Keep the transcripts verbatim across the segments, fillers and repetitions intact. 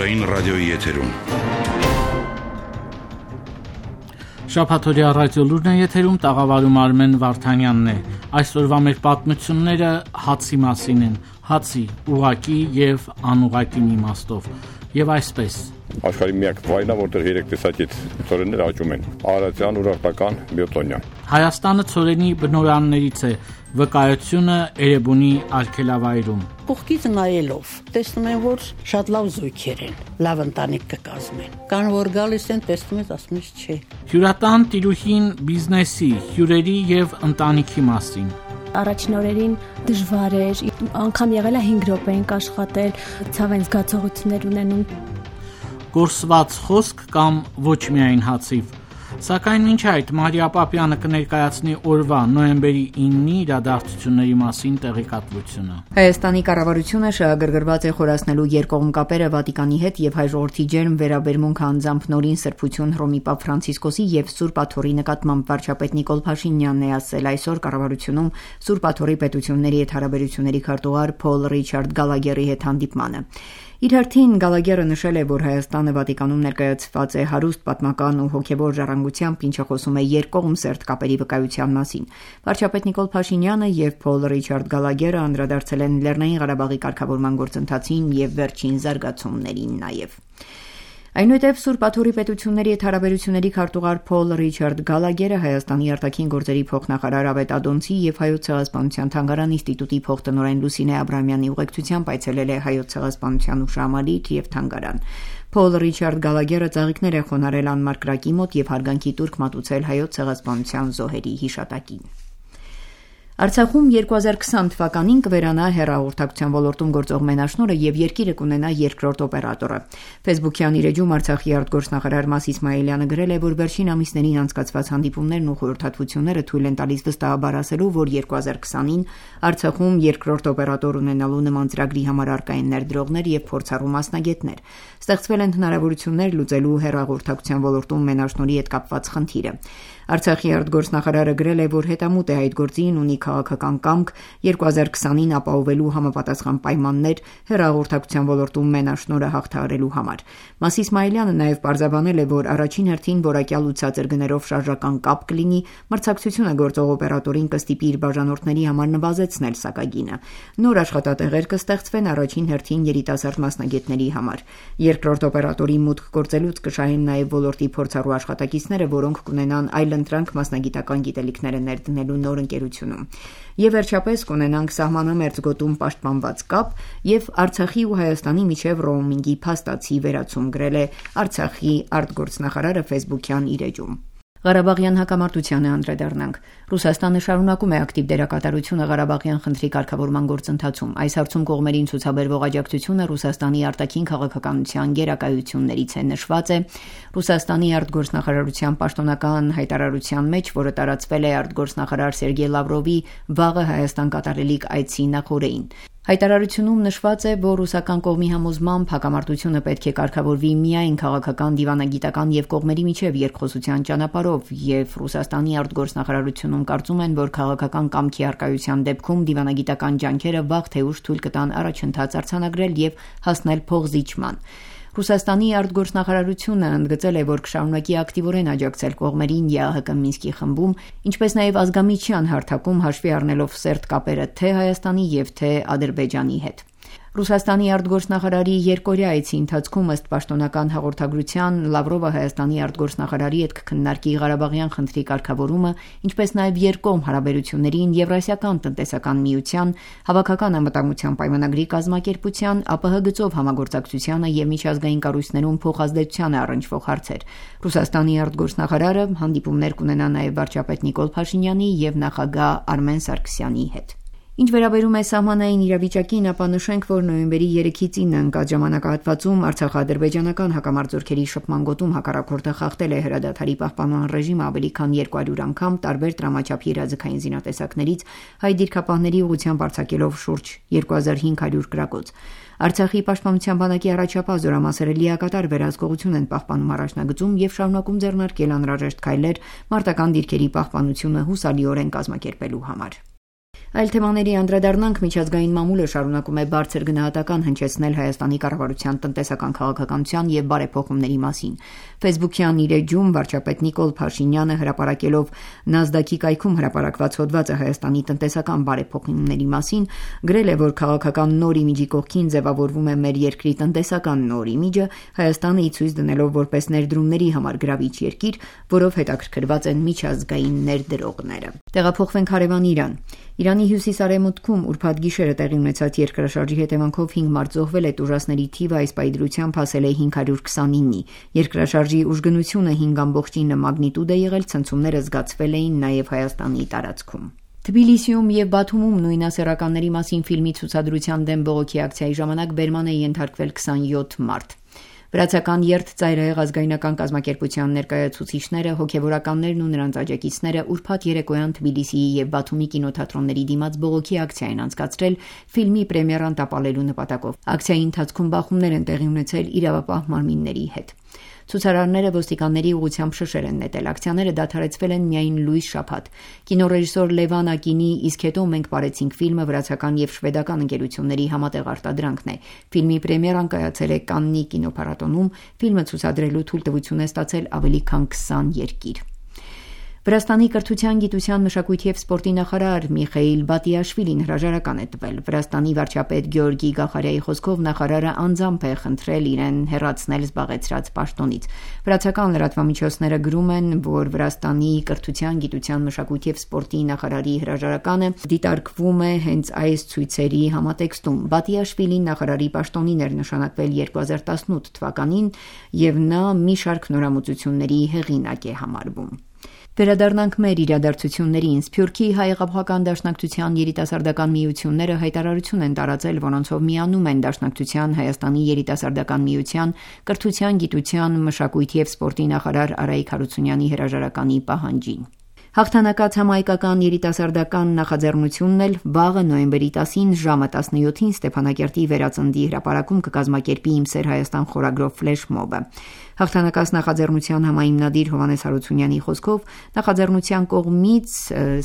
Ազգային ռադիոյի եթերում։ Շաբաթօրյա ռադիոլուրն է եթերում, տաղավարում Արմեն Վարդանյանն է։ Այսօրվա մեր պատմությունները հացի մասին են, հացի ուղղակի եւ անուղղակի իմաստով։ Եվ այսպես. Աշխարհի միակ վայրն է, որտեղ երեք տեսակից ցորեններ աճում են՝ արարատյան, ուրարտական, բիոտոնյան։ Հայաստանը ցորենի բնօրաններից է, վկայությունը Էրեբունի արգելավայրում։ Կողքից նայելով տեսնում են, որ շատ լավ զույգեր են, լավ ընտանիք կկազմեն։ Կան որ գալիս են, տեսնում ես, ասում ես չէ։ Հյուրատան տիրուհին բիզնեսի, հյուրերի եւ ընտանիքի մասին։ Առաջին օրերին դժվար էր, անգամ եղել է հինգ րոպե ենք աշխատել, ցավեն զգացողություններ ունենում։ Գործված խոսք կամ ոչ միայն հացիվ։ Սակայն մինչ այդ Մարիա Պապյանը կներկայացնի օրվա նոյեմբերի ինը իրադարձությունների մասին տեղեկատվությունը։ Հայաստանի կառավարությունը շահագրգռված է խորացնելու երկկողմ կապերը Վատիկանի հետ եւ հայ ժողովրդի ջերմ վերաբերմունքը անձամբ նորին սրբություն Հռոմի Պապ Ֆրանցիսկոսի եւ Սուրբ Աթոռի նկատմամբ վարչապետ Նիկոլ Փաշինյանն է ասել այսօր կառավարությունում Սուրբ Աթոռի պետությունների հետ հարաբերությունների քարտուղար Փոլ Ռիչարդ Գալագերի հետ հանդիպմանը։ Իր հերթին Գալագերը նշել է, որ Հայաստանը Վատիկանում ներկայացված է հարուստ պատմական ու հոգևոր ժառանգությամբ, ինչը խոսում է երկկողմ սերտ կապերի վկայության մասին։ Վարչապետ Նիկոլ Փաշինյանը եւ Փոլ Ռիչարդ Գալագերը անդրադարձել են Լեռնային Ղարաբաղի կարգավորման գործընթացին եւ վերջին զարգացումներին նաեւ։ Այնուհետև Սուրբ Աթոռի պետությունների հետ հարաբերությունների քարտուղար Փոլ Ռիչարդ Գալագերը Հայաստանի արտաքին գործերի փոխնախարար Ավետ Ադոնցի եւ Հայոց ցեղասպանության թանգարան ինստիտուտի փոխտնօրեն Լուսինե Աբրամյանի ուղեկցությամբ այցելել է Հայոց ցեղասպանության հուշահամալիր եւ թանգարան։ Փոլ Ռիչարդ Գալագերը ծաղիկներ է խոնարհել անմար կրակի մոտ եւ հարգանքի տուրք մատուցել Հայոց ցեղասպանության զոհերի հիշատակին։ Արցախում երկու հազար քսան թվականին կվերանա հեռահաղորդակցության ոլորտում գործող մենաշնորհը եւ երկիրը կունենա երկրորդ օպերատորը։ Facebook-յան իր էջում Արցախի արտգործնախարար Մաս Իսմայելյանը գրել է, որ վերջին ամիսներին անցկացված հանդիպումներն ու խորհրդատվությունները թույլ են տալիս վստահաբար ասելու, որ երկու հազար քսանին Արցախում երկրորդ օպերատոր ունենալու նման ծրագրի համար առկա են ներդրողներ եւ փորձառու մասնագետներ։ Ստեղծվել են հնարավորություններ լուծելու հեռահաղորդակցության ոլորտում մենաշնորհի հետ կապված խնդիրը։ Արցախի արտգործնախարարը գրել է, որ հետամուտ է այդ գործին, ունի քաղաքական կամք երկու հազար քսանին ապահովելու համապատասխան պայմաններ հեռահաղորդակցության ոլորտում մենաշնորհը հաղթահարելու համար։ Մաս Իսմայելյանը նաև պարզաբանել է, որ առաջին հերթին որակյալ ու ցածր գներով շարժական կապ կլինի, մրցակցությունը գործող օպերատորին կստիպի իր բաժանորդների համար նվազեցնել սակագինը։ Նոր աշխատատեղեր կստեղծվեն առաջին հերթին երիտասարդ մասնագետների համար։ Երկրորդ օպերատորի մուտք գործելուց կշահեն նաև ոլորտի փորձառու աշխատակիցները, որոնք կունենան այլ ընտրանք մասնագիտական գիտելիքները ներդնելու նոր ընկերությունում։ Եվ վերջապես կունենանք սահմանամերձ գոտում պաշտպանված կապ եւ Արցախի ու Հայաստանի միջև ռոումինգի փաստացի վերացում գրել է Արցախի արտգործնախարարը Facebook-յան իր էջում։ Ղարաբաղյան հակամարտությանը անդրադառնանք։ Ռուսաստանը շարունակում է ակտիվ դերակատարությունը Ղարաբաղյան խնդրի կարգավորման գործընթացում։ Այս հարցում կողմերին ցուցաբերվող աջակցությունը Ռուսաստանի արտաքին քաղաքականության գերակայություններից է նշված է Ռուսաստանի արտգործնախարարության պաշտոնական հայտարարության մեջ, որը տարածվել է արտգործնախարար Սերգեյ Լավրովի վաղը Հայաստան կատարելիք այցի նախօրեին։ Հայտարարությունում նշված է, որ ռուսական կողմի համոզմամբ հակամարտությունը պետք է կարգավորվի միայն քաղաքական, դիվանագիտական եւ կողմերի միջև երկխոսության ճանապարհով, եւ Ռուսաստանի արտգործնախարարությունում կարծում են, որ քաղաքական կամքի առկայության դեպքում դիվանագիտական ջանքերը վաղ թե ուշ թույլ կտան առաջընթաց արձանագրել եւ հասնել փոխզիջման։ Ռուսաստանի արտգործնախարարությունը ընդգծել է, որ կշարունակի ակտիվորեն աջակցել կողմերին ԵԱՀԿ Մինսկի խմբում, ինչպես նաև ազգամիջյան հարթակում հաշվի առնելով սերտ կապերը թե Հայաստանի եւ թե Ադրբեջանի հետ։ Ռուսաստանի արտգործնախարարի երկօրյա այցի ընթացքում ըստ պաշտոնական հաղորդագրության Լավրովը Հայաստանի արտգործնախարարի հետ կքննարկի Ղարաբաղյան խնդրի կարգավորումը, ինչպես նաև երկկողմ հարաբերություններին, Եվրասիական տնտեսական միության, հավաքական անվտանգության պայմանագրի կազմակերպության, ԱՊՀ գծով համագործակցությանը եւ միջազգային կառույցներում փոխազդեցությանը առնչվող հարցեր։ Ռուսաստանի արտգործնախարարը հանդիպումներ կունենա նաև վարչապետ Նիկոլ Փաշինյանի եւ նախագահ Արմեն Սարգսյանի հետ։ Ինչ վերաբերում է սահմանային իրավիճակին, ապա նշենք, որ նոյեմբերի երեքից ինը ընկած ժամանակահատվածում Արցախա-ադրբեջանական հակամարտությունների շփման գոտում հակառակորդը խախտել է հրադադարի պահպանման ռեժիմը ավելի քան երկու հարյուր անգամ տարբեր տրամաչափի իրազեկային զինատեսակներից հայ դիրքապահների ուղղությամբ արձակելով շուրջ երկու հազար հինգ հարյուր գրակոց։ Արցախի պաշտպանության բանակի առաջապահ զորամասերը լիակատար վերահսկողություն են պահպանում առաջնագծում եւ շարունակում ձեռնարկել անհրաժեշտ քայլեր մարտական դիրքերի պահպանությունը հուսալիորեն կազմակերպելու համար։ Այլ թեմաների անդրադառնանք, միջազգային մամուլը շարունակում է բարձր գնահատական հնչեցնել Հայաստանի կառավարության տնտեսական քաղաքականության եւ բարեփոխումների մասին։ Facebook-յան իր էջում վարչապետ Նիկոլ Փաշինյանը հրապարակելով NASDAQ-ի կայքում հրապարակված հոդվածը Հայաստանի տնտեսական բարեփոխումների մասին գրել է, որ քաղաքական նոր իմիջի կողքին ձևավորվում է մեր երկրի տնտեսական նոր իմիջը, Հայաստանը ի ցույց դնելով որպես ներդրումների համար գրավիչ երկիր, որով հետաքրքրված են միջազգային ներդրողները։ Տեղափոխվենք հարևան Իրան։ Իրանի հյուսիս-արևմուտքում ուրբաթ գիշերը տեղի ունեցած երկրաշարժի հետևանքով հինգ մարդ զոհվել է, տուժածների թիվը այս պայծրությամբ հասել է հինգ հարյուր քսանինի։ Երկրաշարժի ուժգնությունը հինգ ամբողջ ինը մագնիտուդ է եղել, ցնցումները զգացվել էին նաև Հայաստանի տարածքում։ Թբիլիսիում եւ Բաթումում նույնասեռականների մասին ֆիլմի ցուցադրության դեմ բողոքի ակցիայի ժամանակ բերման է ենթարկվել քսանյոթ մարդ։ Վրացական երթծայրահեղ ազգայնական կազմակերպության ներկայացուցիչները, հոգևորականներն ու նրանց աջակիցները ուրբաթ երեկոյան Թբիլիսիի եւ Բաթումի կինոթատրոնների դիմաց բողոքի ակցիա են անցկացրել ֆիլմի պրեմիերան տապալելու նպատակով։ Ակցիայի ընթացքում բախումներ են տեղի ունեցել իրավապահ մարմինների հետ։ Ցուցարարները ոստիկանների ուղղությամբ շշեր են նետել։ Ակցիաները դադարեցվել են միայն լույս շաբաթ։ Կինոռեժիսոր Լևան Ակինի «Իսկ հետո մենք բարեցինք» ֆիլմը վրացական եւ շվեդական ընկերությունների համատեղ արտադրանքն է։ Ֆիլմի պրեմիերան կայացել է Կաննի կինոփառատոնում, ֆիլմը ցուցադրելու թույլտվություն է ստացել ավելի քան քսան երկիր։ Վրաստանի կրթության, գիտության, մշակույթի եւ սպորտի նախարար Միխեիլ Բատիաշվիլին հրաժարական է տվել։ Վրաստանի վարչապետ Գեորգի Գախարյայի խոսքով նախարարը անձամբ է խնդրել իրեն հեռացնել զբաղեցրած պաշտոնից։ Վրացական լրատվամիջոցները գրում են, որ Վրաստանի կրթության, գիտության, մշակույթի եւ սպորտի նախարարի հրաժարականը դիտարկվում է հենց այս ցույցերի համատեքստում։ Բատիաշվիլին նախարարի պաշտոնին էր նշանակվել երկու հազար տասնութ թվականին եւ նա մի շարք նորամուծությունների հեղինակ է համարվում։ Վերադառնանք մեր իրադարձություններին։ Սփյուռքի հայ-աղափական դաշնակցության երիտասարդական միությունները հայտարարություն են տարածել, որոնցով միանում են դաշնակցության Հայաստանի երիտասարդական միության կրթության, գիտության, մշակույթի եւ սպորտի նախարար Արայիկ Հարությունյանի հրաժարականի պահանջին։ Հաղթանակած համահայկական երիտասարդական նախաձեռնությունն էլ վաղը նոյեմբերի տասին ժամը տասնյոթին Ստեփանակերտի Վերածնդի հրապարակում կկազմակերպի «Իմ սեր Հայաստան» խորագրով ֆլեշմոբը։ Հաղթանակած նախաձեռնության համահիմնադիր Հովհաննես Հարությունյանի խոսքով նախաձեռնության կողմից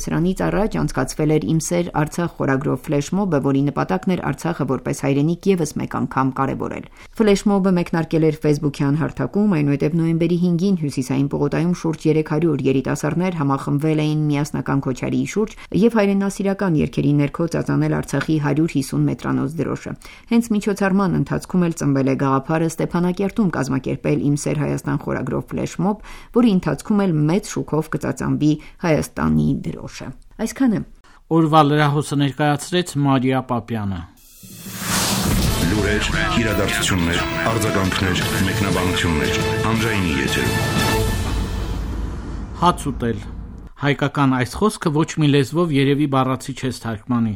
սրանից առաջ անցկացվել էր «Իմ սեր Արցախ» խորագրով ֆլեշմոբը, որի նպատակն էր Արցախը որպես հայրենիք եւս մեկ անգամ կարեւորել։ Ֆլեշմոբը մեկնարկել էր Facebook-յան հարթակում, այնուհետև նոյեմբերի հինգին Հյուսիսային պողոտայում շուրջ երեք հարյուր երիտասարդներ համախմբվել էին միասնական քոչարի շուրջ եւ հայրենասիրական երգերի ներքո ծածանել Արցախի հարյուր հիսուն մետրանոց դրոշը։ Հենց միջոցառման ընթացքում էլ ծնվել է գաղափարը Ստեփանակերտում կազմակերպել «Իմ սեր Հայաստան» խորագրով ֆլեշմոբ, որի ընթացքում էլ մեծ շուկով կծածանվի Հայաստանի դրոշը։ Այսքանը օրվա լրահոսը ներկայացրեց Մարիա Պապյանը։ Լուրեր, իրադարձություններ, արձագանքներ, մեկնաբանություններ, հանրայինի եթերում։ Հաց ուտել։ Հայկական այս խոսքը ոչ մի լեզվով երևի բառացի չես թարգմանի։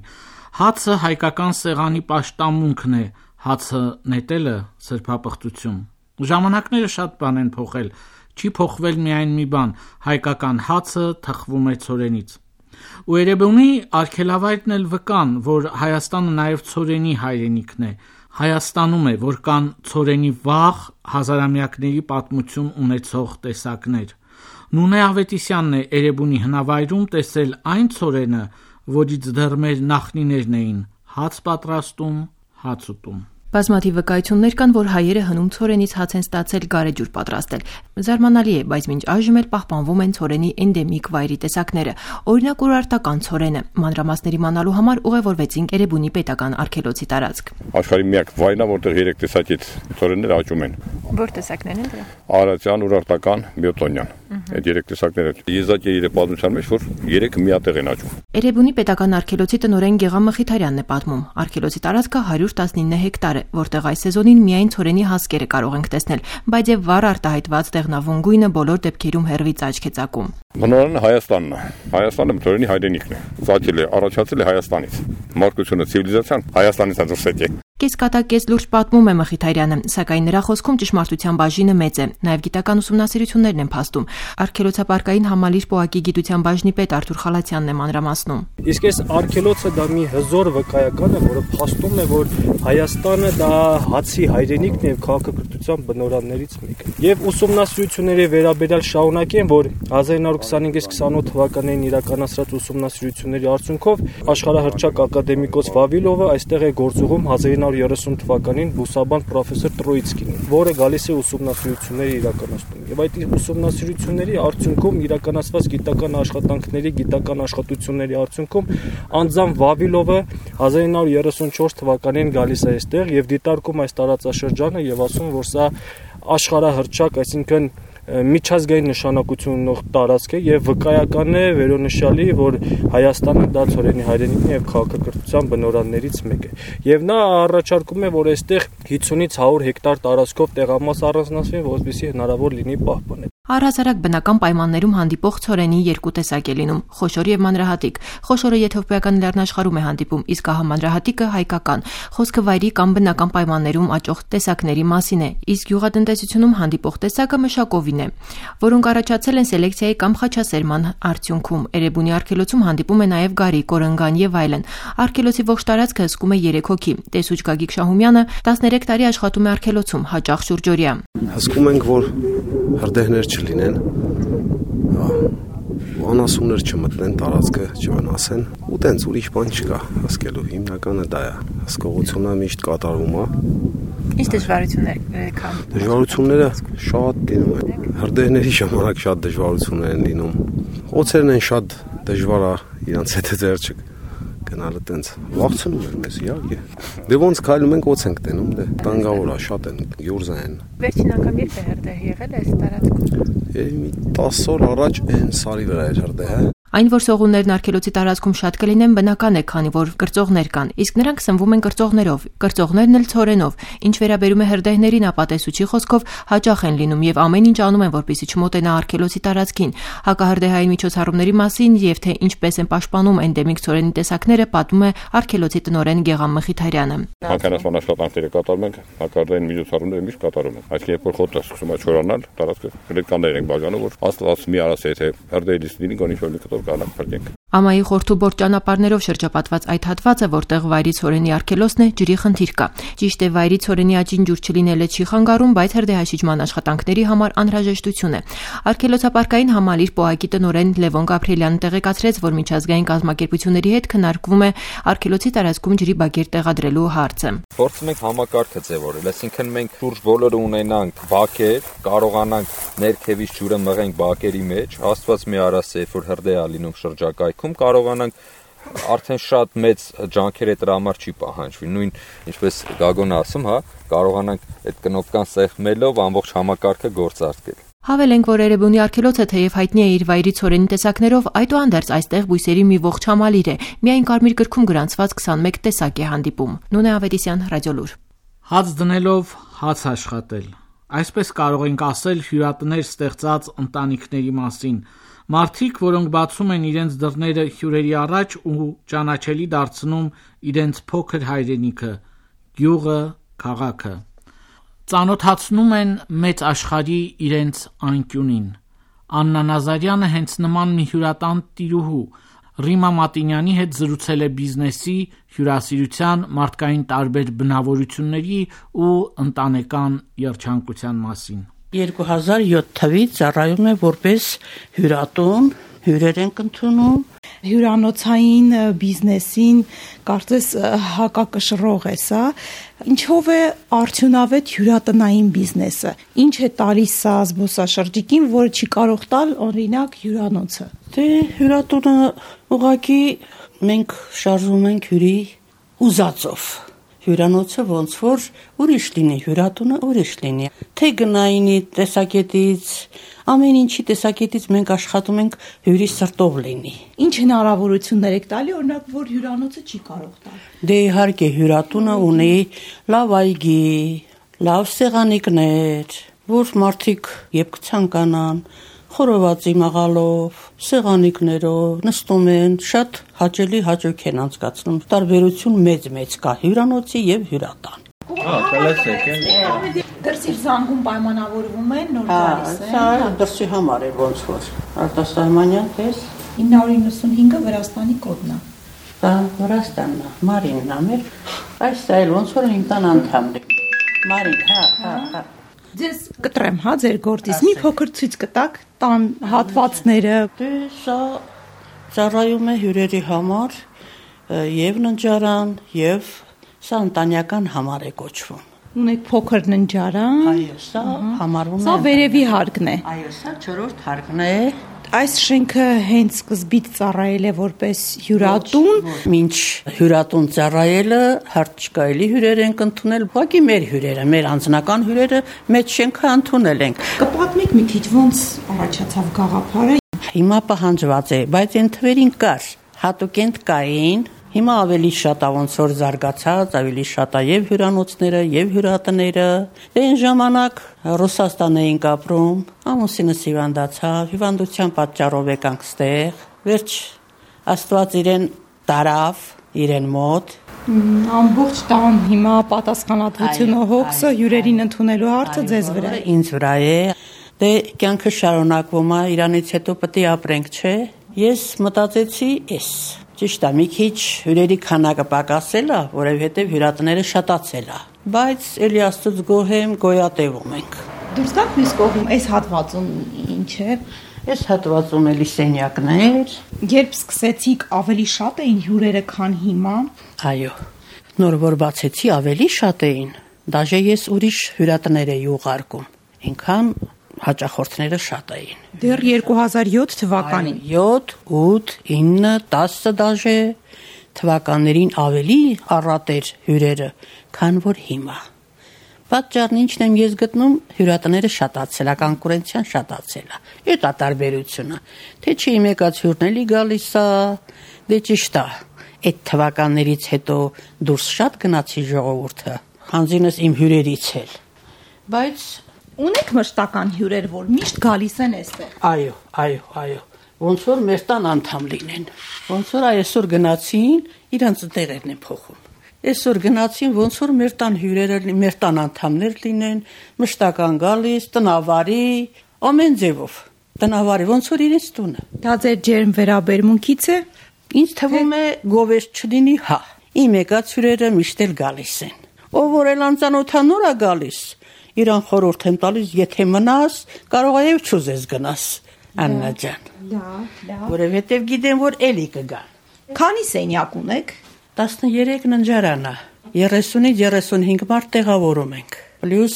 Հացը հայկական սեղանի պաշտամունքն է, հացը նետելը սրբապղծություն։ Ժամանակները շատ բան են փոխել, չի փոխվել միայն մի բան, հայկական հացը թխվում է ցորենից։ Ու Էրեբունի արգելավայրն էլ վկան, որ Հայաստանը նաև ցորենի հայրենիքն է, Հայաստանում է, որ կան ցորենի վաղ հազարամյակների պատմություն ունեցող տեսակներ։ Նունե Ավետիսյանն է Էրեբունի հնավայրում տեսել այն ցորենը, որից դեռ մեր նախնիներն էին հաց պատրաստում, հաց ուտում։ Բազմաթիվ վկայություններ կան, որ հայերը հնում ցորենից հաց են ստացել գարեջուր պատրաստել։ Զարմանալի է, բայց մինչ այժմ էլ պահպանվում են ցորենի էնդեմիկ վայրի տեսակները։ Օրինակ ուրարտական ցորենը։ Մանրամասների մանալու համար ուղևորվեցինք Էրեբունի պետական արգելոցի տարածք։ Աշխարհի միակ վայրն է, որտեղ երեք տեսակից ցորեններ աճում են։ Որ տեսակներն են դրա։ Արարատյան, ուրարտական, բիոտոնյան։ Այդ երեք տեսակները եզակի իր պատմության մեջ որ երեքը միատեղ են աճում։ Էրեբունի պետական արգելոցի տնօրեն Գեգամ Մխիթարյանն է պատմում։ Արգելոցի տարածքը հարյուր տասնինը հեկտար է, որտեղ այս սեզոնին միայն ցորենի հասկերը կարող ենք տեսնել, բայց եւ վառ արտահայտված դեղնավուն գույնը բոլոր դեպքերում հերվից աչք է ծակում։ Բնորեն Հայաստանն է։ Հայաստանը ցորենի հայրենիքն է։ Ծագել է, առաջացել է Հայաստանից։ Մարդկությունը ցիվիլիզացիան Հայաստանից է դուրս եկել։ Կեսկատակես լուրջ պատմում է Մխիթարյանը, սակայն նրա խոսքում ճշմարտության բաժինը մեծ է, նաև գիտական ուսումնասիրություններն են փաստում։ Արգելոցապարկային համալիր պոակի գիտության բաժնի պետ Արթուր Խալացյանն է մանրամասնում։ Իսկ այս արգելոցը դա մի հզոր վկայական է, որը փաստում է, որ Հայաստանը դա հացի հայրենիքն է եւ քաղաքակրթության բնօրաններից մեկը։ Եվ ուսումնասիրությունների վերաբերյալ շարունակեն, որ հազար ինը հարյուր քսանհինգ քսանութ թվականներին իրականացրած ուսումնասիրությունների արդյունքով աշխարհահռչակ ակադեմիկոս Վավիլովը այստեղ է գործուղում հազար ինը հարյուր երեսուն թվականին բուսաբան պրոֆեսոր Տրոիցկին, որը գալիս է ուսումնասիրությունների իրականացնում։ Եվ այդ ուսումնասիրությունների արդյունքում իրականացված գիտական աշխատանքների, գիտական աշխատությունների արդյունքում անձամբ Վավիլովը հազար ինը հարյուր երեսուն չորս թվականին գալիս է այստեղ եւ դիտարկում այս տարածաշրջանը եւ ասում, որ սա աշխարհահռչակ, այսինքն միջազգային նշանակություն ունող տարածք է եւ վկայական է վերոնշյալի, որ Հայաստանը դա ծորենի հայրենիքն է եւ քաղաքակրթության բնօրաններից մեկը։ Եվ նա առաջարկում է, որ այստեղ հիսունից հարյուր հեկտար տարածքով տեղամաս առանձնացվի, որպեսզի հնարավոր լինի պահպանել։ Առհասարակ բնական պայմաններում հանդիպող ցորենի երկու տեսակ է լինում՝ խոշոր եւ մանրահատիկ։ Խոշորը եթովպիական լեռնաշխարհում է հանդիպում, իսկ ահամանրահատիկը հայկական։ Խոսքը վայրի կամ բնական պայմաններում աճող տեսակների մասին է, իսկ գյուղատնտեսությունում հանդիպող տեսակը մշակովին է, որոնք առաջացել են սելեկցիայի կամ խաչասերման արդյունքում։ Էրեբունի արգելոցում հանդիպում է նաեւ գարի, կորնգան եւ այլն։ Արգելոցի ողջ տարածքը հսկում է երեք հոգի։ Տեսուչ Գագիկ Շահումյանը տասներեք տարի աշխատում է արգելոցում, հաճախ շուրջօրյա։ Հսկում ենք, որ հրդեհներ չլինեն, անասուններ չմտնեն, տարածքը չվնասեն, ու տենց ուրիշ բան չկա հսկելու, հիմնականը դա է, հսկողությունը միշտ կատարվում է։ Ինչ դժվարություններ կան։ Դժվարությունները շատ լինում են, հրդեհների ժամանակ շատ դժվարություններ են լինում, օձերն են շատ դժվար է, իրանց հետ ձեր չկ գնալը տենց, վախցնում են մեզ, իհարկե։ Դե ոնց քայլում ենք, օձ ենք տենում, դե տանգավոր է, շատ են, գյուրզա են։ Վերջին անգամ երբ է հրդեհ եղել այս տարածքում։ Մի տասը օր առաջ այն սարի վրա էր հրդեհը։ Այն, որ սողուններն արգելոցի տարածքում շատ կլինեն, բնական է, քանի որ կրծողներ կան, իսկ նրանք սնվում են կրծողներով, կրծողներն էլ ցորենով։ Ինչ վերաբերում է հրդեհներին, ապա տեսուչի խոսքով հաճախ են լինում եւ ամեն ինչ անում են, որպեսզի չմոտենա արգելոցի տարածքին։ Հակահրդեհային միջոցառումների մասին եւ թե ինչպես են պաշտպանում էնդեմիկ ցորենի տեսակները, պատմում է արգելոցի տնօրեն Գեգամ Մխիթարյանը։ Հանքանասման աշխատանքները կատարում ենք, հակահրդեհային միջոցառումները միշտ կատարում ենք։ Այսինքն, երբ որ խոտը սկսում է չորանալ, տարածքը գլետկաններ ենք բաժանում, որ աստված մի արած է, թե հրդեհից լինի գոնի շոյ կտոր կանակ փրկենք։ Ամայի խորթուբորդ ճանապարհներով շրջապատված այդ հատվածը, որտեղ վայրի ցորենի արգելոցն է, ջրի խնդիր կա։ Ճիշտ է, վայրի ցորենի աճին ջուր չլինելը չի խանգարում, բայց հրդեհաշիջման աշխատանքների համար անհրաժեշտություն է։ Արգելոցապարկային համալիր պոակի տնօրեն Լևոն Գաբրիելյանը տեղեկացրեց, որ միջազգային կազմակերպությունների հետ քննարկվում է արգելոցի տարածքում ջրի բակեր տեղադրելու հարցը։ Փորձում ենք համակարգը ձևավորել, այսինքն մենք շուրջ բոլորը ունենանք բակեր, կարողանանք ներքևից ջուրը մղենք բակերի մեջ, աստված մի արած է, որ հրդեհ է լինում շրջակայքում, կարողանանք արդեն շատ մեծ ջանքեր այդ համար չի պահանջվի։ Նույն ինչպես Գագոնը ասում, հա, կարողանանք այդ կնոպկան սեղմելով ամբողջ համակարգը գործարկել։ Հավելենք, որ Էրեբունի արգելոցը թեև հայտնի է իր վայրի ցորենի տեսակներով, այդուհանդերձ այստեղ բույսերի մի ողջ համալիր է։ Միայն Կարմիր գրքում գրանցված քսանմեկ տեսակ է հանդիպում։ Նունե Ավետիսյան, Ռադիոլուր։ Հաց դնելով հաց աշխատել։ Այսպես կարող ենք ասել հյուրատներ ստեղծած ընտանիքների մասին։ Մարդիկ, որոնք բացում են իրենց դռները հյուրերի առաջ ու ճանաչելի դարձնում իրենց փոքր հայրենիքը, գյուղը, քաղաքը։ Ծանոթացնում են մեծ աշխարհի իրենց անկյունին։ Աննա Նազարյանը հենց նման մի հյուրատան տիրուհու Ռիմա Մատինյանի հետ զրուցել է բիզնեսի, հյուրասիրության, մարդկային տարբեր բնավորությունների ու ընտանեկան երջանկության մասին։ երկու հազար յոթ թվականից ծառայում է որպես հյուրատուն, հյուրեր ենք ընդունում։ Հյուրանոցային բիզնեսին կարծես հակակշռող է սա, ինչով է արդյունավետ հյուրատնային բիզնեսը, ինչ է տալիս սա զբոսաշրջիկին, որը չի կարող տալ օրինակ հյուրանոցը։ Դե հյուրատունը ուղղակի մենք շարժում ենք հյուրի ուզածով։ Հյուրանոցը ոնց որ ուրիշ լինի, հյուրատունը ուրիշ լինի։ Թե գնայինի տեսակետից, ամեն ինչի տեսակետից մենք աշխատում ենք հյուրի սրտով լինի։ Ինչ հնարավորություններ եք տալի, օրինակ, որ հյուրանոցը չի կարող տալ։ Դե իհարկե հյուրատունը ունի լավ այգի, լավ սեղանիկներ, որ մարդիկ երբ կցանկանան, խորովածի մաղալով, սեղանիկներով նստում են, շատ հաճելի հաճույք են անցկացնում։ Տարբերություն մեծ-մեծ կա հյուրանոցի եւ հյուրատան։ Հա, կլասեք են։ Դրսի զանգում պայմանավորվում են, նոր գալիս են։ Սա դրսի համար է ոնց որ։ Արտասահմանյան տես ինը հարյուր նվսունհինգը Վրաստանի կոդն է։ Դա Վրաստանն է, Մարինն է մեր։ Այս սա էլ ոնց որ իմ տան անդամն է։ Մարին, հա, հա, հա։ Ձեզ կտրեմ, հա, ձեր գործից։ Մի փոքր ցույց կտաք տան հատվածները։ Դե սա ծառայում է հյուրերի համար եւ ննջարան եւ սա ընտանեկան համար է կոչվում։ Ունեք փոքր ննջարան։ Այո, սա համարվում է։ Սա վերևի հարկն է։ Այո, սա չորրորդ հարկն է։ Այս շենքը հենց սկզբից ծառայել է որպես հյուրատուն։ Մինչ հյուրատուն ծառայելը հարց չկայելի հյուրեր ենք ընդունել, ուղղակի մեր հյուրերը, մեր անձնական հյուրերը մեծ շենքը ընդունել ենք։ Կպատմեք մի քիչ ոնց առաջացավ գաղափարը։ Հիմա պահանջված է, բայց այն թվերին կար, հատուկենտ կային։ Հիմա ավելի շատ է ոնց որ զարգացած, ավելի շատ է եւ հյուրանոցները, եւ հյուրատները։ Այն ժամանակ Ռուսաստան էինք ապրում, ամուսինս հիվանդացավ, հիվանդության պատճառով եկանք ստեղ։ Վերջ Աստված իրեն տարավ իրեն մոտ։ Ամբողջ տան հիմա պատասխանատվությունը հոգսը հյուրերին ընդունելու հարցը ձեզ վրա է։ Ինձ վրա է։ Դե կյանքը շարունակվում է, իրանից հետո պետք է ապրենք, չէ։ Ես մտածեցի, էս ճիշտ է, մի քիչ հյուրերի քանակը պակասել է, որովհետև հյուրատները շատացել է, բայց էլի Աստծուց գոհ եմ, գոյատևում ենք։ Դուրս գաք մյուս կողմ, այս հատվածում ինչ է։ Այս հատվածում էլի սենյակներ։ Երբ սկսեցիք, ավելի շատ էին հյուրերը, քան հիմա։ Այո, նոր որ բացեցի, ավելի շատ էին։ Դաժե ես ուրիշ հյուրատներ էի ուղարկում, այնքան հաճախորդները շատ էին։ Դեռ երկու հազար յոթ թվականին։ յոթ, ութ, ինը, տասը դաժե թվականներին ավելի առատ էր հյուրերը, քան որ հիմա։ Պատճառն ինչն եմ ես գտնում, հյուրատները շատացել է, կոնկուրենցիան շատացել է։ Այդ է տարբերությունը։ Թե չի եկած հյուրն էլի գալիս է, դե ճիշտ է։ Այդ թվականներից հետո դուրս շատ գնացի ժողովուրդը, հանձինս իմ հյուրերից էլ։ Բայց ունեք մշտական հյուրեր, որ միշտ գալիս են այստեղ։ Այո, այո, այո։ Ոնց որ մեր տան անդամ լինեն։ Ոնց որ այսօր գնացին, իրանց տեղերն են փոխում։ Այսօր գնացին, ոնց որ մեր տան հյուրերը, մեր տան անդամներ լինեն, մշտական գալիս, տնավարի, ամեն ձևով։ Տնավարի ոնց որ իրենց տունը։ Դա ձեր ջերմ վերաբերմունքից է։ Ինձ թվում է գովեշտ չլինի, հա։ Իմ եկած հյուրերը միշտ էլ գալիս են։ Ով որ էլ անծանոթանոր է գալիս, իրան խորհուրդ եմ տալիս, եթե մնաս, կարող է եւ չուզես գնաս, Աննա ջան։ Լավ, լավ։ Որովհետեւ գիտեմ, որ էլի կգան։ Քանի սենյակ ունեք։ տասներեք ննջարան է, երեսունից երեսունհինգ մարդ տեղավորում ենք։ Պլյուս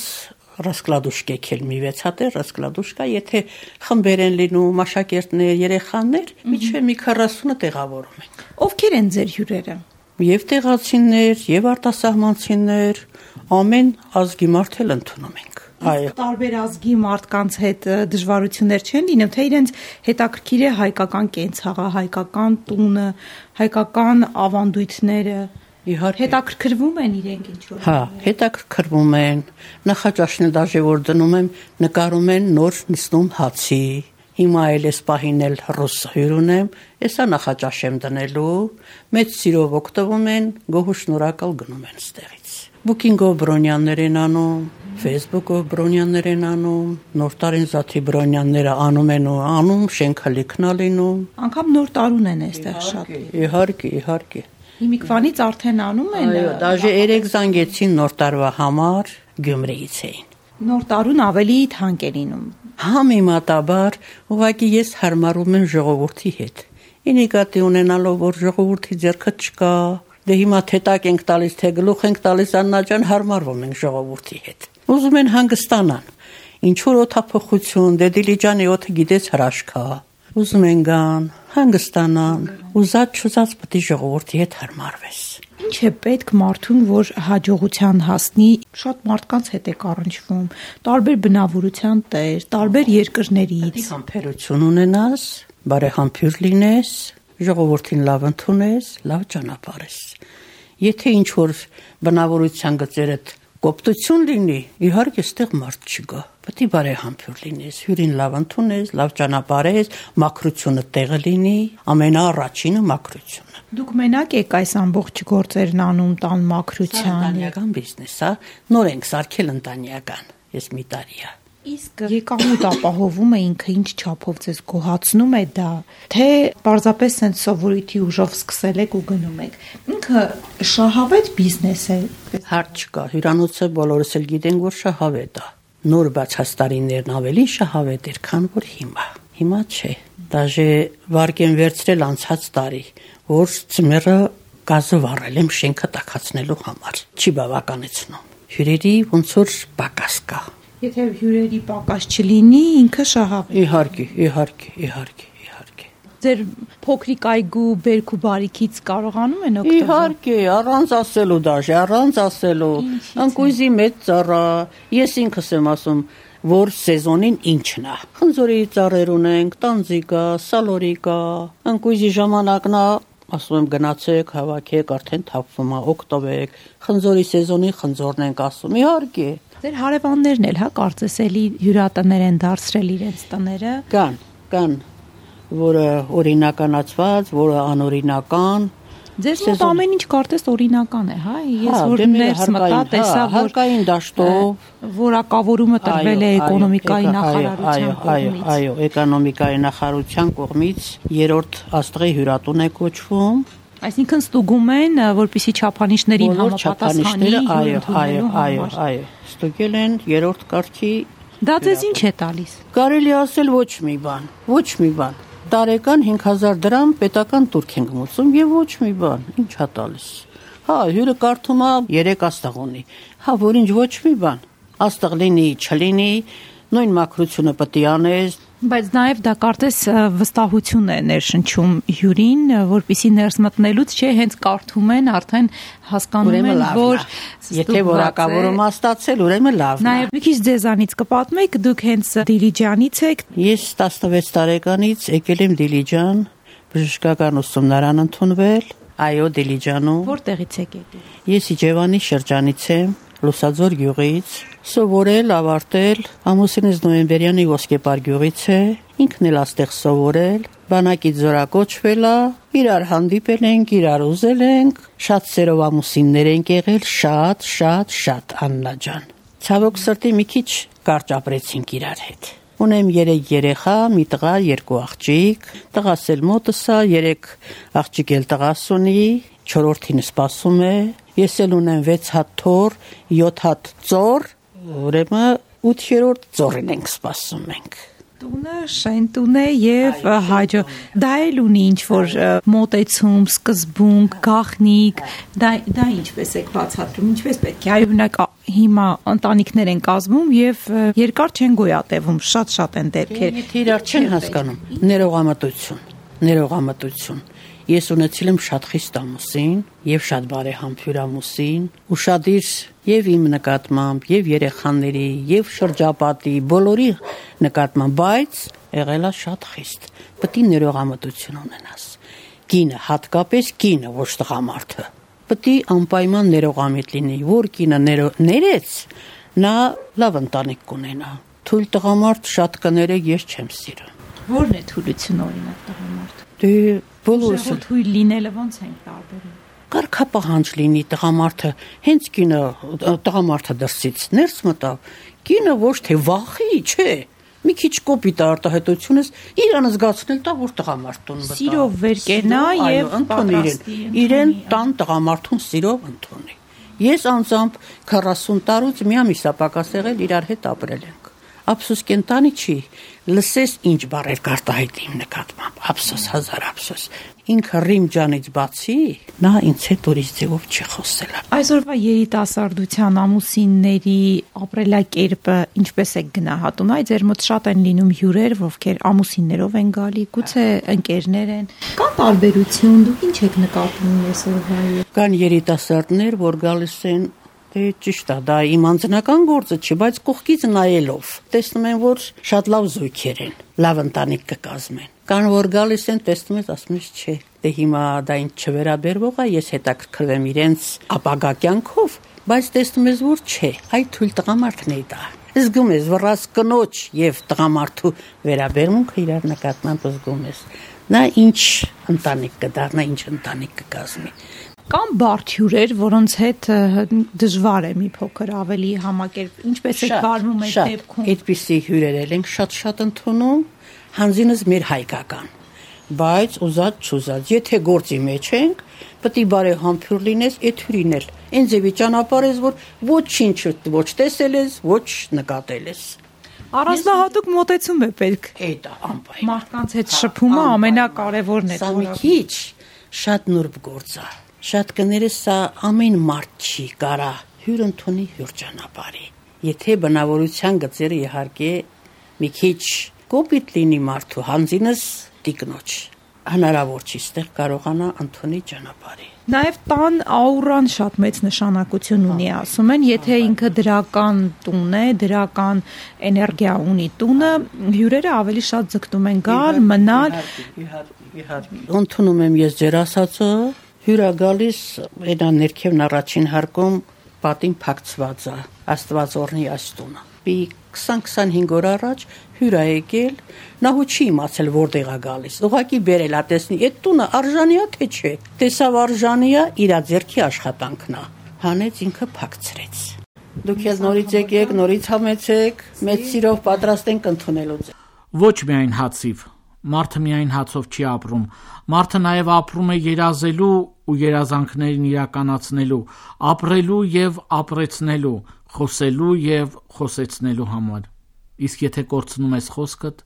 ռասկլադուշկեք էլ մի վեց հատ է, ռասկլադուշկա, եթե խմբեր են լինում, աշակերտներ, երեխաներ, միջև մի քառասունը տեղավորում ենք։ Ովքեր են ձեր հյուրերը։ Եվ տեղացիներ, եւ արտասահմանցիներ, ամեն ազգի մարդ էլ ընդունում ենք։ Այո։ Տարբեր ազգի մարդկանց հետ դժվարություններ չեն լինում, թե իրենց հետաքրքիր է հայկական կենցաղը, հայկական տունը, հայկական ավանդույթները։ Իհարկե։ Հետաքրքրվում են իրենք ինչ որ։ Հա, հետաքրքրվում են։ Նախաճաշն էլ դաժե որ դնում եմ, նկարում են նոր նստում հացի։ Հիմա էլ էս պահին էլ ռուս հյուր ունեմ, էսա նախաճաշ եմ դնելու, մեծ սիրով օգտվում են, գոհու շնորհակալ գնում են ստեղից։ Booking-ով բրոնյաններ են անում, Facebook-ով բրոնյաններ են անում, նոր տարին զաթի բրոնյանները անում են ու անում, շենքը լիքնա լինում։ Անկամ նոր տարուն են այստեղ շատ։ Իհարկե, իհարկե։ Հիմիկվանից արդեն անում են։ Այո, դաժե երեք զանգեցին նոր տարվա համար Գյումրիից էին։ Նոր տարուն ավելի թանկ է լինում։ Համեմատաբար, ուղղակի ես հարմարում եմ ժողովրդի հետ։ Ինիկատի ունենալով, որ ժողովրդի ձեռքը չկա, դե հիմա թե տակ ենք տալիս, թե գլուխ ենք տալիս, Աննա ջան, հարմարվում ենք ժողովրդի հետ։ Ուզում են հանգստանան։ Ինչ որ օթափողություն, դե Դիլիջանի օդը գիտես հրաշքա։ Ուզում են գան, հանգստանան, ուզած չուզած պետք է ժողովրդի հետ հարմարվես։ Ինչ է պետք մարդուն, որ հաջողության հասնի, շատ մարդկանց հետ է առնչվում, տարբեր բնավորության տեր, տարբեր երկրներից։ Համբերություն ունենաս, բարեհամբույր լինես, ժողովրդին լավ ընդունես, լավ ճանապարհես։ Եթե ինչ որ բնավորության գծերդ կոպտություն լինի, իհարկե այստեղ մարդ չգա։ պետք է բարեհամբույր լինես, հյուրին լավ ընդունես, լավ ճանապարհես, մաքրությունը տեղը լինի, ամենաառաջինը մաքրությունը։ Դուք մենակ եք այս ամբողջ գործերն անում տան մաքրության։ Ընտանեկան բիզնես է, նոր ենք սարքել ընտանեկան, ես մի տարի է։ Իսկ եկամուտ ապահովումը ինքը ինչ չափով ձեզ գոհացնում է դա, թե պարզապես sense սովորույթի ուժով սկսել եք ու գնում եք։ Ինքը շահավետ բիզնես է։ Հարց չկա, հյուրանոցը բոլորս էլ գիտենք, որ շահավետ է։ Նոր բացած տարիներն ավելի շահավետ էր, քան որ հիմա։ Հիմա չէ։ Դաժե վարկեն վերցրել անցած տարի, որ ծմերը գազը վառել եմ շենքը տաքացնելու համար։ Չի բավականեցնում։ Հյուրերի ոնց որ պակաս կա։ Եթե հյուրերի պակաս չլինի, ինքը շահավետ։ Իհարկե, իհարկե, իհարկե, իհարկե։ Ձեր փոքրիկ այգու բերք ու բարիքից կարողանում են օգտվել։ Իհարկե, առանց ասելու դաժե, առանց ասելու։ Ընկույզի մեծ ծառա, ես ինքս եմ ասում, որ սեզոնին ինչն է։ Խնձորի ծառեր ունենք, տանձիկա, սալորիկա, ընկույզի ժամանակն է, ասում եմ գնացեք, հավաքեք, արդեն թափվում է, օգտվեք։ Խնձորի սեզոնին խնձորն ենք ասում, իհարկե։ Ձեր հարևաններն էլ, հա, կարծես էլի հյուրատներ են դարձրել իրենց տները։ Կան, կան, որը օրինականացված, որը անօրինական։ Ձեզ մոտ ամեն ինչ կարծես օրինական է, հա։ Ես որ ներս մտա, տեսա, որ հարկային դաշտով որակավորումը տրվել է էկոնոմիկայի նախարարության կողմից։ Այո, այո, էկոնոմիկայի նախարարության կողմից երրորդ աստղի հյուրատուն է կոչվում։ Այսինքն ստուգում են, որպեսզի չափանիշներին համապատասխանի։ Այո, այո, այո, այո։ Ստուգել են երրորդ կարգի։ Դա ձեզ ինչ է տալիս։ Կարելի ասել ոչ մի բան, ոչ մի բան։ Տարեկան հինգ հազար դրամ պետական տուրք ենք մուծում եւ ոչ մի բան, ինչ է տալիս։ Հա, հյուրը կարդում է երեք աստղ ունի։ Հա, որ ինչ ոչ մի բան։ Աստղ լինի, չլինի, նույն մաքրությունը պետք է անես։ Բայց նաև դա կարծես վստահություն է ներշնչում հյուրին, որպեսզի ներս մտնելուց չէ, հենց կարդում են, արդեն հասկանում են, որ եթե որակավորում ստացել, ուրեմն լավն է։ Նաև մի քիչ ձեզանից կպատմեք, դուք հենց Դիլիջանից եք։ Ես տասնվեց տարեկանից եկել եմ Դիլիջան, բժշկական ուսումնարան ընդունվել, այո, Դիլիջանում։ Որտեղից եք եկել։ Ես Իջևանի շրջանից եմ, Լուսաձոր գյուղից, սովորել, ավարտել, ամուսինս նոյեմբերյանի Ոսկեպար գյուղից է, ինքն էլ աստեղ սովորել, բանակից զորակոչվել է, իրար հանդիպել ենք, իրար ուզել ենք, շատ սերով ամուսիններ ենք եղել, շատ, շատ, շատ Աննա ջան։ Ցավոք սրտի մի քիչ կարճ ապրեցինք իրար հետ։ Ունեմ երեք երեխա, մի տղա, երկու աղջիկ, տղաս էլ մոտս է, երեք աղջիկ էլ տղաս ունի, չորրորդին սպասում է, ես էլ ունեմ վեց հատ թոռ, յոթ հատ ծոր, ուրեմն ութերորդ ծորին ենք սպասում ենք։ Տունը շենտուն է եւ հաջո դա էլ ունի ինչ որ մոտեցում, սկզբունք, գաղտնիք, դա դա ինչպես եք բացատրում, ինչպես պետք է, այո, օրինակ հիմա ընտանիքներ են կազմում եւ երկար չեն գոյատևում, շատ-շատ են դեպքեր։ Եթե իրար չեն հասկանում, ներողամտություն, ներողամտություն։ Ես ունեցել եմ շատ խիստ ամուսին եւ շատ բարեհամբույր ամուսին, ուշադիր եւ իմ նկատմամբ, եւ երեխաների, եւ շրջապատի բոլորի նկատմամբ, բայց եղել է շատ խիստ։ Պետք է ներողամտություն ունենաս։ Կինը, հատկապես կինը, ոչ տղամարդը, պետք է անպայման ներողամիտ լինի, որ կինը ներեց, նա լավ ընտանիք կունենա։ Թույլ տղամարդ շատ կներեք, ես չեմ սիրում։ Ո՞րն է թույլությունը օրինակ տղամարդ։ Դե բոլորս թույլ լինելը ո՞նց են տարբերում։ Կարգապահանջ լինի տղամարդը, հենց կինը տղամարդը դրսից ներս մտավ, կինը ոչ թե վախի, չէ, մի քիչ կոպիտ արտահայտությունս իրան զգացնել տա, որ տղամարդուն մտա։ Սիրով վեր կենա եւ պատրաստի իրեն տան տղամարդուն սիրով ընդունի։ Ես անձամբ քառասուն տարուց մի ամիս է պակաս եղել իրար հետ ապրել ենք։ Ափսոս կենտանի չի, լսես ինչ բառեր կարտահայտի իմ նկատմամբ, ափսոս, հազար ափսոս։ Ինքը Ռիմ ջանից բացի, նա ինձ հետ ուրիշ ձևով չի խոսել։ Այսօրվա երիտասարդության ամուսինների ապրելակերպը ինչպես է գնահատում, այ ձեր մոտ շատ են լինում հյուրեր, ովքեր ամուսիններով են գալի, գուցե ընկերներ են։ Կա տարբերություն, դուք ինչ եք նկատում այսօրվա։ Կան երիտասարդներ, որ գալիս են Դե ճիշտ է, դա իմ անձնական գործը չի, բայց կողքից նայելով տեսնում են, որ շատ լավ զույգեր են, լավ ընտանիք կկազմեն։ Կան որ գալիս են, տեսնում ես, ասում ես, չէ, դե հիմա դա ինձ չվերաբերվող է, ես հետաքրքրվեմ իրենց ապագա կյանքով, բայց տեսնում ես, որ չէ, այ թույլ տղամարդն է դա։ Զգում ես վռած կնոջ եւ տղամարդու վերաբերմունքը իրար նկատմամբ զգում ես։ Նա ինչ ընտանիք կդառնա, ինչ ընտանիք կկազմի։ Կամ բարդ հյուրեր, որոնց հետ դժվար է մի փոքր ավելի համակերպ, ինչպես է վարվում այդ դեպքում։ Այդպիսի հյուրեր ենք շատ-շատ ընդունում, հանձինս մեր հայկական, բայց ուզած չուզած, եթե գործի մեջ ենք, պետք է բարեհամբույր լինես, այդ հյուրին էլ այն ձևի ճանապարհես, որ ոչինչ ոչ տեսել ես, ոչ նկատել ես։ Առանձնահատուկ մոտեցում է պետք։ Այդ անպայման։ Մարդկանց հետ շփումը ամենակարևորն է։ Սա մի քիչ շատ նուրբ գործ է։ Շատ կներես սա ամեն մարդ չի կարա հյուր ընդունի հյուր ճանապարհի։ Եթե բնավորության գծերը իհարկե մի քիչ կոպիտ լինի մարդու հանձինս տիկնոջ, հնարավոր չի ստեղ կարողանա ընդունի ճանապարհի։ Նաև տան աուրան շատ մեծ նշանակություն ունի, ասում են, եթե ինքը դրական տուն է, դրական էներգիա ունի տունը, հյուրերը ավելի շատ ձգտում են գալ, մնալ։ Ընդունում եմ ես ձեր ասածը, հյուրա գալիս այնա ներքևն առաջին հարկում պատին փակցված է, Աստված օրհնի այս տունը։ Մի քսան-քսանհինգ օր առաջ հյուր է եկել, նա հու չի իմացել որտեղ է գալիս։ Ուղղակի բերել է տեսնի, այդ տունը արժանի է թե չէ։ Տեսավ արժանի է, իր ձեռքի աշխատանքն է։ Հանեց ինքը փակցրեց։ Դուք էլ նորից եկեք, նորից համեցեք, մեծ սիրով պատրաստ ենք ընդունելու ձեզ։ Ոչ միայն հացիվ, մարդը միայն հացով չի ապրում։ Մարդը նաև ապրում է երազելու ու երազանքներին իրականացնելու, ապրելու եւ ապրեցնելու, խոսելու եւ խոսեցնելու համար։ Իսկ եթե կորցնում ես խոսքդ,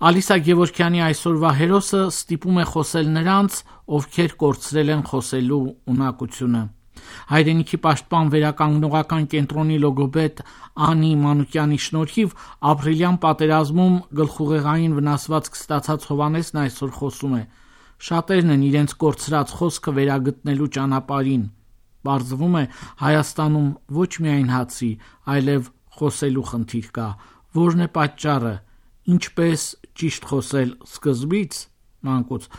Ալիսա Գևորգյանի այսօրվա հերոսը ստիպում է խոսել նրանց, ովքեր կորցրել են խոսելու ունակությունը։ Հայրենիքի պաշտպան վերականգնողական կենտրոնի լոգոպեդ Անի Մանուկյանի շնորհիվ ապրիլյան պատերազմում գլխուղեղային վնասվածք ստացած Հովհաննեսն այսօր խոսում է։ Շատերն են իրենց կորցրած խոսքը վերագտնելու ճանապարհին։ Պարզվում է, Հայաստանում ոչ միայն հացի, այլև խոսելու խնդիր կա։ Որն է պատճառը, ինչպես ճիշտ խոսել սկզբից, մանկուց,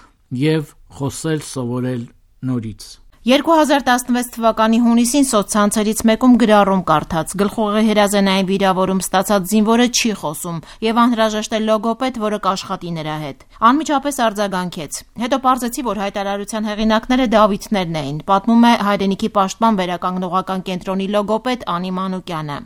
եւ խոսել սովորել նորից։ երկու հազար տասնվեց թվականի հունիսին սոցցանցերից մեկում գրառում կարդաց. գլխուղեղի հրազենային վիրավորում ստացած զինվորը չի խոսում եւ անհրաժեշտ է լոգոպեդ, որը կաշխատի նրա հետ։ Անմիջապես արձագանքեց։ Հետո պարզեցի, որ հայտարարության հեղինակները Դավիթներն էին, պատմում է Հայրենիքի պաշտպան վերականգնողական կենտրոնի լոգոպեդ Անի Մանուկյանը։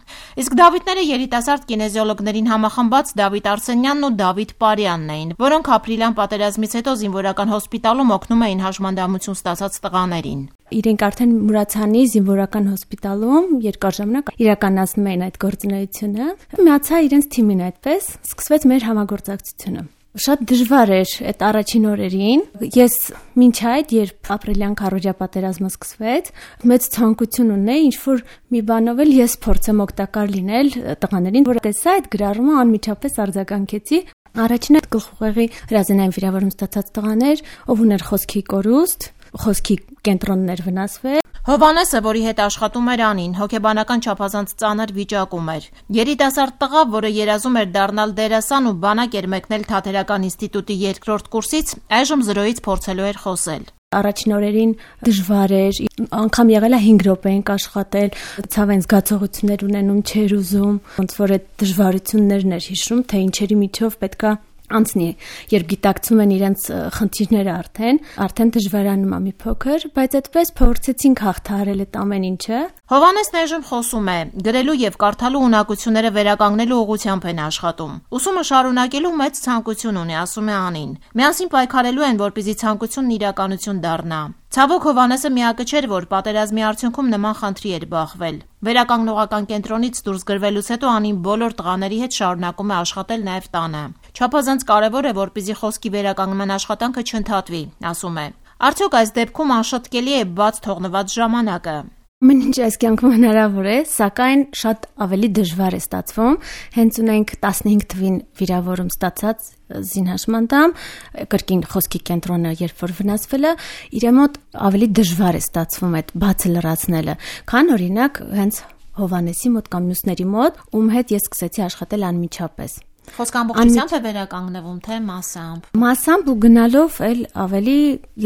Իսկ Դավիթները երիտասարդ կինեզիոլոգներին համախմբած Դավիթ Արսենյանն ու Դավիթ Պարյանն էին, որոնք ապրիլյան պատերազմից հետո զինվորական հոսպիտալում օգնում էին հաշմանդամություն ստացած տղաներին։ Իրենք արդեն Մուրացանի զինվորական հոսպիտալում երկար ժամանակ իրականացնում էին այդ գործունեությունը։ Միացա իրենց թիմին այդպես, սկսվեց մեր համագործակցությունը։ Շատ դժվար էր այդ առաջին օրերին։ Ես մինչ այդ, երբ ապրիլյան քարոզիա պատերազմը սկսվեց, մեծ ցանկություն ունեի ինչ-որ մի բանով էլ ես փորձեմ օգտակար լինել տղաներին, որ տեսա այդ գրառումը, անմիջապես արձագանքեցի։ Առաջինը գլխուղեղի հրազենային վիրավորում ստացած տղաներ, ով ուներ խոսքի կորուստ, խոսքի կենտրոններ վնասվել։ Հովհաննեսը, որի հետ աշխատում էր Անին, հոգեբանական չափազանց ծանր վիճակում էր։ Երիտասարդ տղա, որը երազում էր դառնալ դերասան ու բանակ էր մեկնել Թատերական ինստիտուտի երկրորդ կուրսից, այժմ զրոյից փորձելու էր խոսել։ Առաջին օրերին դժվար էր, անգամ եղել է հինգ րոպե ենք աշխատել, ցավեն զգացողություններ ունենում, չէր ուզում, ոնց որ այդ դժվարություններն էր հիշում, թե ինչերի միջով պետքա անցնի, երբ գիտակցում են իրենց խնդիրները արդեն, արդեն դժվարանում է մի փոքր, բայց այդպես փորձեցինք հաղթահարել այդ ամեն ինչը։ Հովհաննեսն այժմ խոսում է, գրելու եւ կարդալու ունակությունները վերականգնելու ուղղությամբ են աշխատում։ Ուսումը շարունակելու մեծ ցանկություն ունի, ասում է Անին։ Միասին պայքարելու են, որպեսզի ցանկությունն իրականություն դառնա։ Ցավոք Հովհաննեսը միակը չէր, որ պատերազմի արդյունքում նման խնդրի էր բախվել։ Վերականգնողական կենտրոնից դուրս գրվելուց հետո Անին բոլոր տղաների հետ շարունակում է աշխատել նաև տանը։ Չափազանց կարևոր է, որպեսզի խոսքի վերականգնման աշխատանքը չընդհատվի, ասում է։ Արդյոք այս դեպքում անշտկելի է բաց թողնված ժամանակը։ Մեն ինչ այս կյանքում հնարավոր է, սակայն շատ ավելի դժվար է ստացվում։ Հենց ունենք տասնհինգ թվին վիրավորում ստացած զինհաշմանդամ, կրկին խոսքի կենտրոնը երբ որ վնասվել է, իր մոտ ավելի դժվար է ստացվում այդ բացը լրացնելը, քան օրինակ հենց Հովհաննեսի մոտ կամ մյուսների մոտ, ում հետ ես սկսեցի աշխատել անմիջապես։ Խոսքը ամբողջությամբ է վերականգնվում, թե մասամբ։ Մասամբ ու գնալով էլ ավելի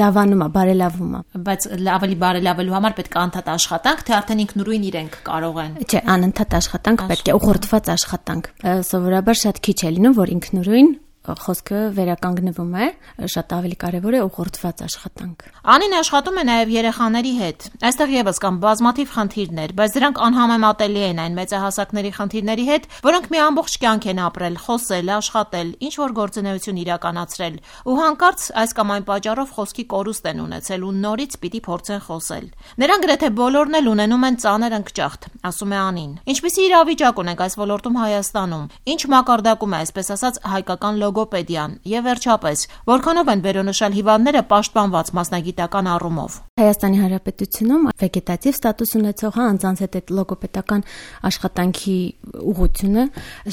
լավանում է, բարելավում է։ Բայց ավելի բարելավելու համար պետք է անընդհատ աշխատանք, թե արդեն ինքնուրույն իրենք կարող են։ Չէ, անընդհատ աշխատանք պետք է, ուղղորդված աշխատանք։ Սովորաբար շատ քիչ է լինում, որ ինքնուրույն խոսքը վերականգնվում է, շատ ավելի կարևոր է ուղղորդված աշխատանք։ Անին աշխատում է նաև երեխաների հետ։ Այստեղ եւս կան բազմաթիվ խնդիրներ, բայց դրանք անհամեմատելի են այն մեծահասակների խնդիրների հետ, որոնք մի ամբողջ կյանք են ապրել, խոսել, աշխատել, ինչ որ գործունեություն իրականացրել, ու հանկարծ այս կամ այն պատճառով խոսքի կորուստ են ունեցել ու նորից պիտի փորձեն խոսել։ Նրանք գրեթե բոլորն էլ ունենում են ծանր ընկճախտ, ասում է Անին։ Ինչպիսի իրավիճակ ունենք այս ոլորտում Հայաստանում։ Ինչ մակարդակում է, այսպես ասած, հայկական լոգոպեդիան եւ վերջապես որքանով են վերոնշյալ հիվանդները պաշտպանված մասնագիտական առումով։ Հայաստանի Հանրապետությունում վեգետատիվ ստատուս ունեցող անձանց հետ այդ լոգոպեդական աշխատանքի ուղղությունը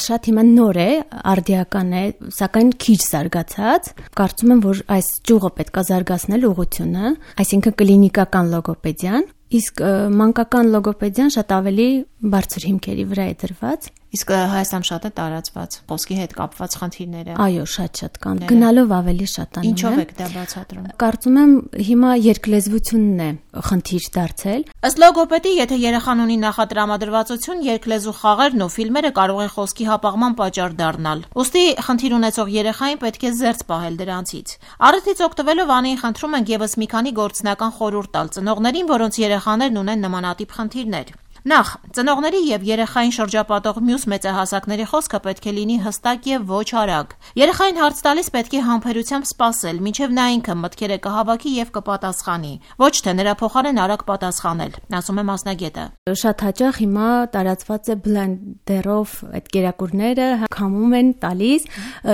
շատ հիմա նոր է, արդիական է, սակայն քիչ զարգացած։ Կարծում եմ, որ այս ճյուղը պետք է զարգացնել ուղղությունը, այսինքն կլինիկական լոգոպեդիան, իսկ մանկական լոգոպեդիան շատ ավելի բարձր հիմքերի վրա է դրված։ Իսկ Հայաստանում շատ է տարածված խոսքի հետ կապված խնդիրները։ Այո, շատ-շատ կան։ Գնալով ավելի շատանում է։ Ինչով եք դա բացատրում։ Կարծում եմ հիմա երկլեզվությունն է խնդիր դարձել։ Ըստ լոգոպեդի, եթե երեխան ունի նախատրամադրվածություն, երկլեզու խաղերն ու ֆիլմերը կարող են խոսքի հապաղման պատճառ դառնալ։ Ուստի խնդիր ունեցող երեխային պետք է զերծ պահել դրանցից։ Առիթից օգտվելով Անին խնդրում ենք եւս մի քանի գործնական խորհուրդ տալ ծնողներին, որոնց երեխաներն ունեն նմանատիպ խնդիրներ։ Նախ, ծնողների եւ երեխային շրջապատող մյուս մեծահասակների խոսքը պետք է լինի հստակ եւ ոչ արագ։ Երեխային հարց տալիս պետք է համբերությամբ սպասել, մինչեւ նա ինքը մտքերը կհավաքի եւ կպատասխանի, ոչ թե նրա փոխարեն արագ պատասխանել, ասում է մասնագետը։ Շատ հաճախ հիմա տարածված է բլենդերով այդ կերակուրները քամում են տալիս,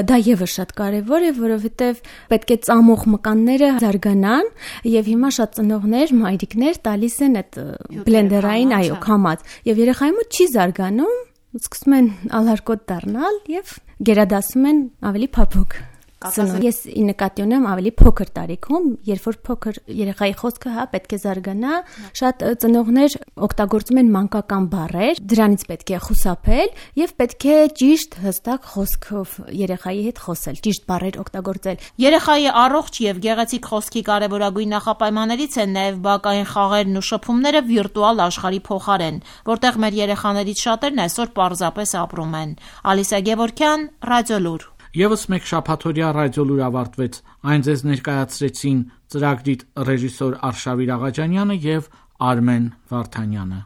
դա եւս շատ կարեւոր է, որովհետեւ պետք է ծամող մկանները զարգանան եւ հիմա շատ ծնողներ, մայրիկներ տալիս են այդ բլենդերային, այո, եւ երեխայի մոտ չի զարգանում, սկսում են ալարկոտ դառնալ եւ գերադասում են ավելի փափուկ։ Ես ի նկատի ունեմ ավելի փոքր տարիքում, երբ որ փոքր երեխայի խոսքը հա պետք է զարգանա, շատ ծնողներ օգտագործում են մանկական բառեր, դրանից պետք է խուսափել եւ պետք է ճիշտ հստակ խոսքով երեխայի հետ խոսել, ճիշտ բառեր օգտագործել։ Երեխայի առողջ եւ գեղեցիկ խոսքի կարեւորագույն նախապայմաններից են նաեւ բակային խաղերն ու շփումները վիրտուալ աշխարհի փոխարեն, որտեղ մեր երեխաներից շատերն այսօր պարզապես ապրում են։ Ալիսա Գևորգյան, Ռադիոլուր։ Եվս մեկ շաբաթօրյա ռադիոլուր ավարտվեց։ Այն ձեզ ներկայացրեցին ծրագրի ռեժիսոր Արշավիր Աղաջանյանը եւ Արմեն Վարդանյանը։